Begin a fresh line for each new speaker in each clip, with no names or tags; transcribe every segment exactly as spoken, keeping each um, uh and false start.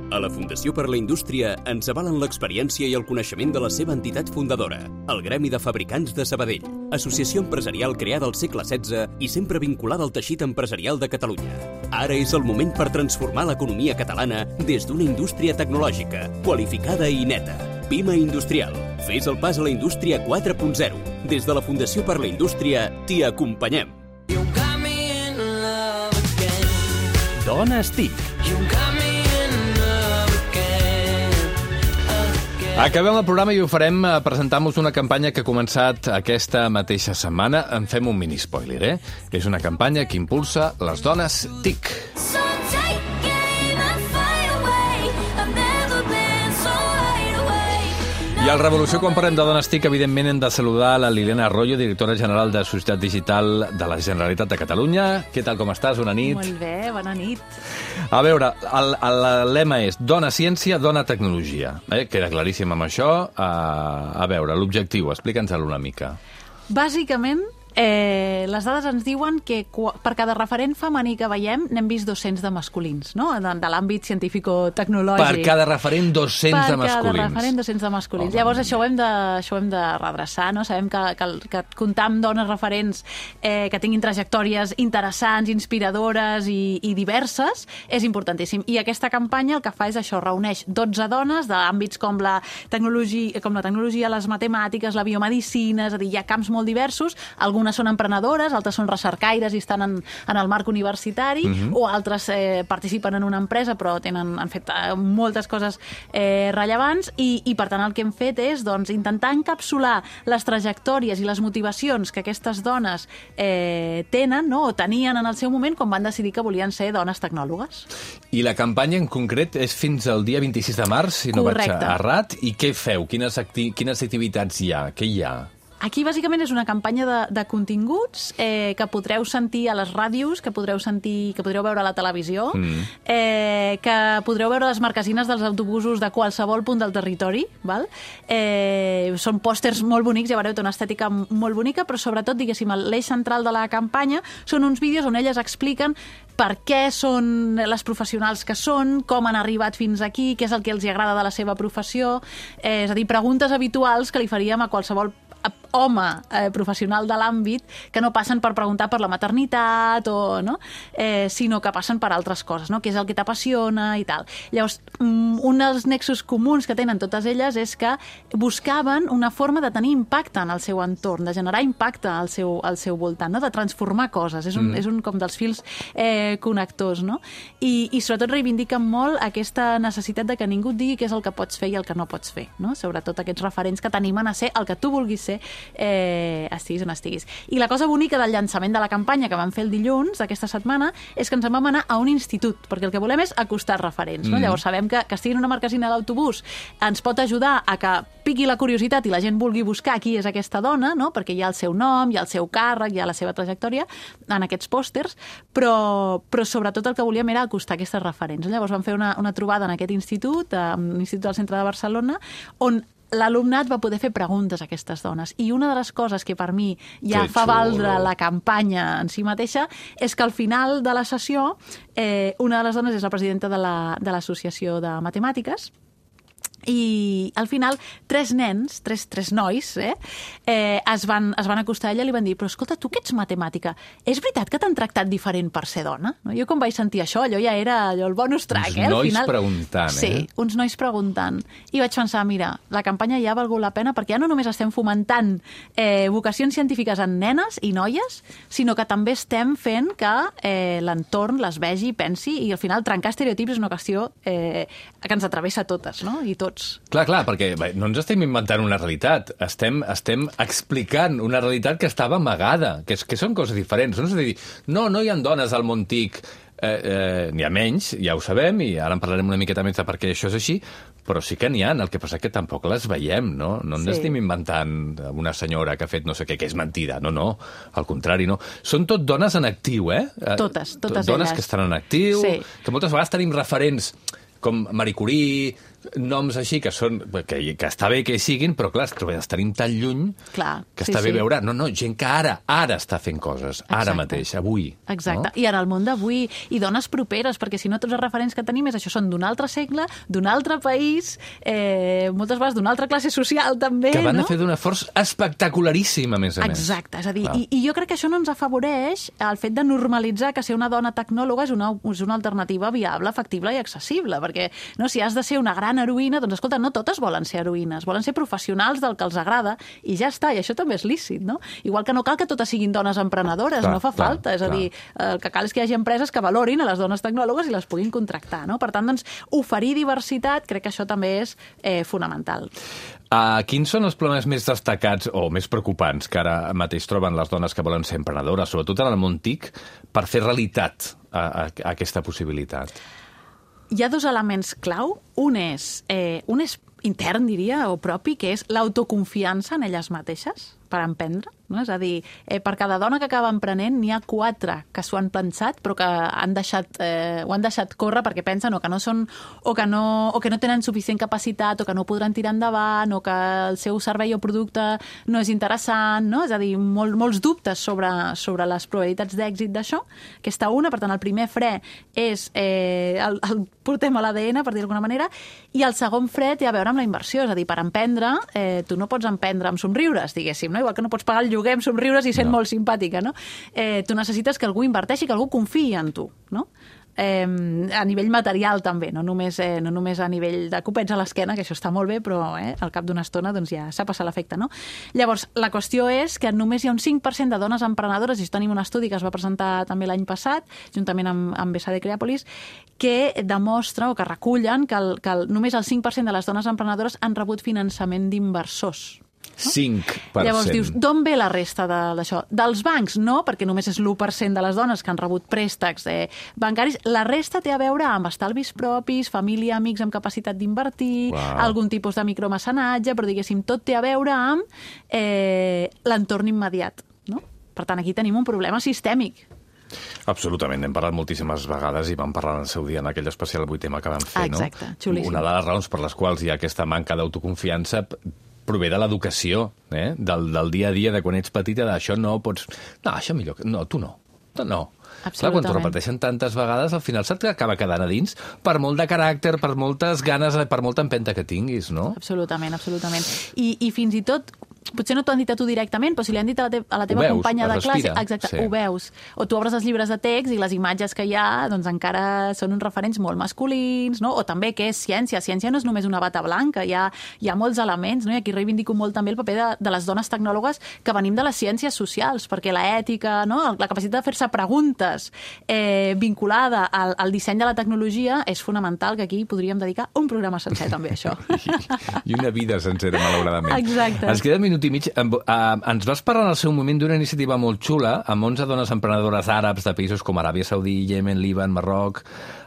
A la Fundació per la Indústria ens avalen l'experiència i el coneixement de la seva entitat fundadora, el Gremi de Fabricants de Sabadell, associació empresarial creada al segle setze i sempre vinculada al teixit empresarial de Catalunya. Ara és el moment per transformar l'economia catalana des d'una indústria tecnològica, qualificada i neta. Pima Industrial. Fes el pas a la indústria quatre punt zero. Des de la Fundació per la Indústria t'hi acompanyem.
Dones TIC.
Acabem el programa i ho farem presentant-vos una campanya que ha començat aquesta mateixa setmana. En fem un mini-spoiler, eh? És una campanya que impulsa les dones TIC. I al Revolució, quan parlem de dones TIC, evidentment hem de saludar la Liliana Arroyo, directora general de Societat Digital de la Generalitat de Catalunya. Què tal, com estàs? Bona nit.
Molt bé, bona nit.
A veure, el, el lema és dona ciència, dona tecnologia. Eh? Queda claríssim amb això. Uh, a veure, l'objectiu, explica'ns-lo una mica.
Bàsicament, eh, les dades ens diuen que per cada referent femení que veiem n'hem vist dos-cents de masculins, no? De, de l'àmbit científico-tecnològic.
Per cada referent, dos-cents de masculins.
Per cada referent, dos-cents de masculins. Oh, Llavors, això ho hem de, això ho hem de redreçar, no? Sabem que, que, que comptar amb dones referents eh, que tinguin trajectòries interessants, inspiradores i, i diverses és importantíssim. I aquesta campanya el que fa és això, reuneix dotze dones d'àmbits com la tecnologia, com la tecnologia, les matemàtiques, la biomedicina, és a dir, hi ha camps molt diversos, algunes són emprenedores, altres són recercaires i estan en, en el marc universitari, uh-huh. o altres eh, participen en una empresa però tenen, han fet eh, moltes coses eh, rellevants i, i per tant el que hem fet és doncs, intentar encapsular les trajectòries i les motivacions que aquestes dones eh, tenen, no? O tenien en el seu moment quan van decidir que volien ser dones tecnòlogues.
I la campanya en concret és fins al dia vint-i-sis de març, si no
Correcte.
vaig errat. I què feu? Quines, acti quines activitats hi ha? Què hi ha?
Aquí, bàsicament, és una campanya de, de continguts eh, que podreu sentir a les ràdios, que podreu sentir, que podreu veure a la televisió, mm. eh, que podreu veure a les marquesines dels autobusos de qualsevol punt del territori. Val? Eh, són pòsters molt bonics, ja veureu, té una estètica molt bonica, però sobretot, diguéssim, l'eix central de la campanya són uns vídeos on elles expliquen per què són les professionals que són, com han arribat fins aquí, què és el que els agrada de la seva professió, eh, és a dir, preguntes habituals que li faríem a qualsevol home eh, professional de l'àmbit que no passen per preguntar per la maternitat o, no? eh, sinó que passen per altres coses, no? Què és el que t'apassiona i tal. Llavors, un dels nexos comuns que tenen totes elles és que buscaven una forma de tenir impacte en el seu entorn, de generar impacte al seu, al seu voltant, no? De transformar coses. És un, mm. és un com dels fils eh, connectors, no? I, i sobretot reivindiquen molt aquesta necessitat de que ningú et digui què és el que pots fer i el que no pots fer, no? Sobretot aquests referents que t'animen a ser el que tu vulguis ser, eh, estiguis on estiguis. I la cosa bonica del llançament de la campanya que vam fer el dilluns d'aquesta setmana és que ens en vam anar a un institut, perquè el que volem és acostar referents, no? Mm. Llavors sabem que, que estigui en una marquesina d'autobús ens pot ajudar a que piqui la curiositat i la gent vulgui buscar qui és aquesta dona, no? Perquè hi ha el seu nom, hi ha el seu càrrec, hi ha la seva trajectòria en aquests pòsters, però, però sobretot el que volíem era acostar aquestes referents. Llavors vam fer una, una trobada en aquest institut, en l'Institut del Centre de Barcelona, on l'alumnat va poder fer preguntes a aquestes dones. I una de les coses que per mi ja que fa xulo. Valdre la campanya en si mateixa és que al final de la sessió eh, una de les dones és la presidenta de l'Associació de, de Matemàtiques i al final tres nens, tres, tres nois, eh, eh, es, van, es van acostar a ella i li van dir però escolta, tu que ets matemàtica, és veritat que t'han tractat diferent per ser dona? No? Jo quan vaig sentir això, allò ja era allò, el bonus track.
Uns
eh,
nois
final...
preguntant, eh?
Sí, uns nois preguntant. I vaig pensar, mira, la campanya ja ha valgut la pena perquè ja no només estem fomentant eh, vocacions científiques en nenes i noies, sinó que també estem fent que eh, l'entorn les vegi, pensi, i al final trencar estereotips és una qüestió eh, que ens atravessa a totes, no? I tots.
Clar, clar, perquè bé, no ens estem inventant una realitat, estem, estem explicant una realitat que estava amagada, que, és, que són coses diferents. No és a dir, no, no hi ha dones al món TIC, eh, eh, n'hi ha menys, ja ho sabem, i ara en parlarem una miqueta més de per què això és així, però sí que n'hi ha, el que passa que tampoc les veiem, no? No ens sí. estem inventant una senyora que ha fet no sé què, que és mentida, no, no, al contrari, no. Són tot dones en actiu, eh?
Totes, totes
dones
elles.
Que estan en actiu, sí. que moltes vegades tenim referents com Marie Curie, noms així que són que, que està bé que hi siguin, però clar, els tenim tan lluny
clar,
que
sí,
està bé
sí.
veure... No, no, gent que ara, ara està fent coses, ara
Exacte.
mateix, avui.
Exacte,
no?
I en el món d'avui, i dones properes, perquè si no tots els referents que tenim és això, són d'un altre segle, d'un altre país, eh, moltes vegades d'una altra classe social també,
que van
no?
a fer d'un esforç espectacularíssim, a més a més.
Exacte, és a dir,
Clar.
i, i jo crec que això no ens afavoreix el fet de normalitzar que ser una dona tecnòloga és una, és una alternativa viable, factible i accessible, perquè no, si has de ser una gran heroïna, doncs escolta, no totes volen ser heroïnes, volen ser professionals del que els agrada i ja està, i això també és lícit, no? Igual que no cal que totes siguin dones emprenedores,
clar,
no fa
clar,
falta, és a
clar.
dir, el que cal és que hi hagi empreses que valorin a les dones tecnòlogues i les puguin contractar, no? Per tant, doncs, oferir diversitat, crec que això també és eh, fonamental.
Uh, quins són els problemes més destacats o més preocupants que ara mateix troben les dones que volen ser emprenedores, sobretot en el món TIC, per fer realitat a, a, a aquesta possibilitat?
Hi ha dos elements clau. Un és, eh, un és intern, diria, o propi, que és l'autoconfiança en elles mateixes per emprendre. No? És a dir, eh, per cada dona que acaba emprenent n'hi ha quatre que s'ho han pensat però que han deixat, eh, ho han deixat córrer perquè pensen o que no són o que no, o que no tenen suficient capacitat o que no podran tirar endavant o que el seu servei o producte no és interessant, no? És a dir, molt, molts dubtes sobre, sobre les probabilitats d'èxit d'això. Aquesta una, per tant, el primer fre és eh, el, el portem a l'A D N, per dir d'alguna manera, i el segon fre té a veure amb la inversió, és a dir, per emprendre, eh, tu no pots emprendre amb somriures, diguéssim, no? Igual que no pots pagar el lloguer amb somriures i sent
no.
molt simpàtica, no? Eh, tu necessites que algú inverteixi, que algú confiï en tu, no? Eh, a nivell material també, no només, eh, no només a nivell de copets a l'esquena, que això està molt bé, però eh, al cap d'una estona doncs, ja s'ha passat l'efecte, no? Llavors, la qüestió és que només hi ha un cinc per cent de dones emprenedores, i això tenim un estudi que es va presentar també l'any passat, juntament amb, amb B S D Creàpolis, que demostra o que recullen que, el, que el, només el cinc per cent de les dones emprenedores han rebut finançament d'inversors. No?
cinc per cent.
Llavors dius, d'on ve la resta d'això? Dels bancs? No, perquè només és l'u per cent de les dones que han rebut préstecs eh, bancaris. La resta té a veure amb estalvis propis, família, amics amb capacitat d'invertir,
wow.
algun tipus de micromecenatge, però diguéssim, tot té a veure amb eh, l'entorn immediat. No? Per tant, aquí tenim un problema sistèmic.
Absolutament, n'hem parlat moltíssimes vegades i vam parlar en el seu dia en aquell especial avui tema que vam fer,
Exacte,
no?
xulíssim.
Una de les raons per les quals hi ha aquesta manca d'autoconfiança prové de l'educació, eh? del, del dia a dia, de quan ets petita, d'això no pots... No, això millor... No, tu no. Tu no. Clar, quan t'ho repeteixen tantes vegades, al final se't acaba quedant a dins per molt de caràcter, per moltes ganes, per molta empenta que tinguis, no?
Absolutament, absolutament. I, i fins i tot, potser no t'ho han dit a tu directament, però si li han dit a la, te a la teva
veus,
companya de
respira,
classe, exacte,
sí.
Ho veus. O tu obres els llibres de text i les imatges que hi ha doncs encara són uns referents molt masculins, no? O també què és ciència. Ciència no és només una bata blanca, hi ha, hi ha molts elements, no? I aquí reivindico molt també el paper de, de les dones tecnòlogues que venim de les ciències socials, perquè l'ètica, no? La capacitat de fer-se preguntes eh, vinculada al, al disseny de la tecnologia és fonamental, que aquí podríem dedicar un programa sencer també a això.
I, I una vida sencera, malauradament.
Exacte.
Ens queda un minut i mig. Ens vas parlar en el seu moment d'una iniciativa molt xula amb onze dones emprenedores àrabs de països com Aràbia Saudí, Iemen, Líban, Marroc,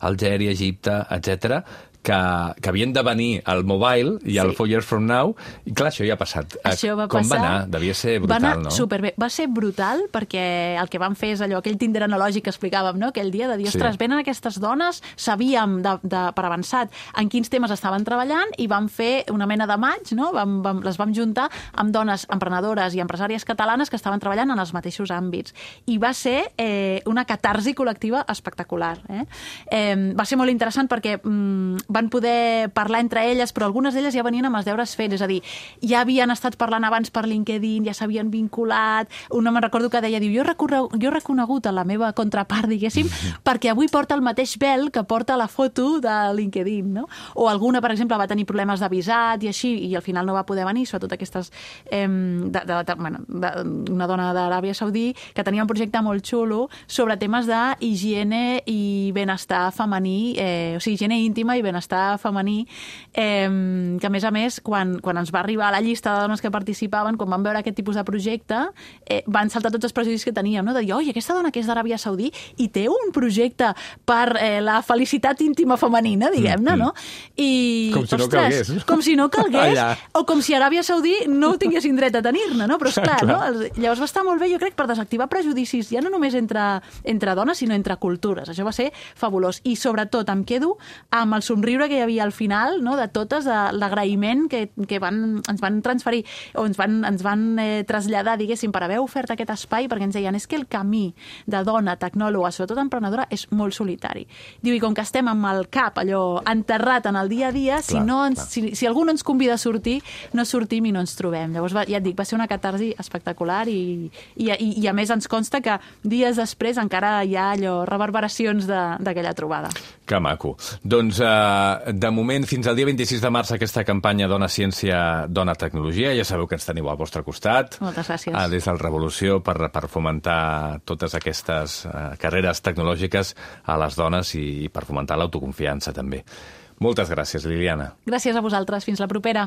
Algèria, Egipte, etcètera, que, que havien de venir al Mobile i al sí. Four Years From Now, i clar, això ja ha passat.
Això va
Com
passar,
va anar? Devia ser brutal,
va anar
no?
Superbé. Va ser brutal perquè el que van fer és allò, aquell Tinder analògic que explicàvem, no? Aquell dia de dir, ostres, sí. venen aquestes dones, sabíem de, de, per avançat en quins temes estaven treballant i vam fer una mena de maig, no? Vam, vam, les vam juntar amb dones emprenedores i empresàries catalanes que estaven treballant en els mateixos àmbits. I va ser eh, una catarsi col·lectiva espectacular. Eh? Eh, va ser molt interessant perquè mm, van poder parlar entre elles, però algunes d'elles ja venien amb els deures fets, és a dir, ja havien estat parlant abans per LinkedIn, ja s'havien vinculat. Una me'n recordo que deia, diu, jo he, jo he reconegut a la meva contrapart, diguéssim, perquè avui porta el mateix vel que porta la foto de LinkedIn, no? O alguna, per exemple, va tenir problemes de visat i així, i al final no va poder venir, sobretot aquestes... Eh, de, de, de, bueno, de, una dona d'Aràbia Saudí que tenia un projecte molt xulo sobre temes d'higiene i benestar femení, eh, o sigui, higiene íntima i benestar femení, eh, que a més a més, quan, quan ens va arribar a la llista de dones que participaven, quan van veure aquest tipus de projecte, eh, van saltar tots els prejudicis que teníem, no? De dir, oi, aquesta dona que és d'Aràbia Saudí i té un projecte per eh, la felicitat íntima femenina, diguem-ne, no? I,
com si no
ostres,
calgués.
Com si no calgués,
Allà.
o com si Aràbia Saudí no ho tinguessin dret a tenir-ne, no? Però esclar,
Clar.
no? Llavors va estar molt bé, jo crec, per desactivar prejudicis, ja no només entre, entre dones, sinó entre cultures. Això va ser fabulós. I sobretot em quedo amb el somriure somriure que hi havia al final, no?, de totes, de l'agraïment que, que van, ens van transferir o ens van, ens van eh, traslladar, diguéssim, per haver ofert aquest espai, perquè ens deien, és que el camí de dona tecnòloga, sobretot emprenedora, és molt solitari. Diu, i com que estem amb el cap allò enterrat en el dia a dia, si,
clar,
no ens,
clar.
si, si algú no ens convida a sortir, no sortim i no ens trobem. Llavors, va, ja et dic, va ser una catarsi espectacular i, i, i, i a més ens consta que dies després encara hi ha allò, reverberacions d'aquella trobada.
Que maco. Doncs, eh, de moment, fins al dia vint-i-sis de març, aquesta campanya Dona Ciència, Dona Tecnologia. Ja sabeu que ens teniu al vostre costat.
Moltes gràcies.
Ah, des del Revolució per, per fomentar totes aquestes eh, carreres tecnològiques a les dones i, i per fomentar l'autoconfiança, també. Moltes gràcies, Liliana.
Gràcies a vosaltres. Fins la propera.